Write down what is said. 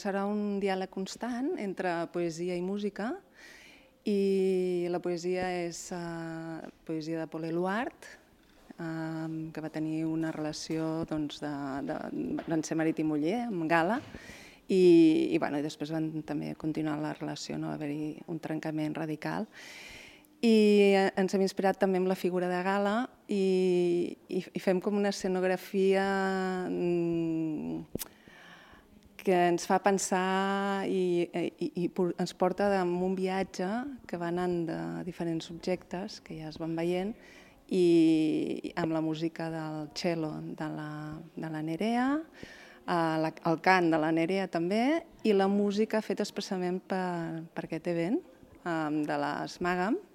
Serà un diàleg constant entre poesia i música, i la poesia és poesia de Paul Eluard, que va tenir una relació van ser marit i muller amb Gala, i després van també continuar la relació, no va haver-hi un trencament radical. I ens hem inspirat també en la figura de Gala i fem com una escenografia que ens fa pensar i ens porta en un viatge que va anant de diferents subjectes que ja es van veient, i amb la música del cello de la Nerea, el cant de la Nerea també, i la música feta expressament per aquest event de les Màgam,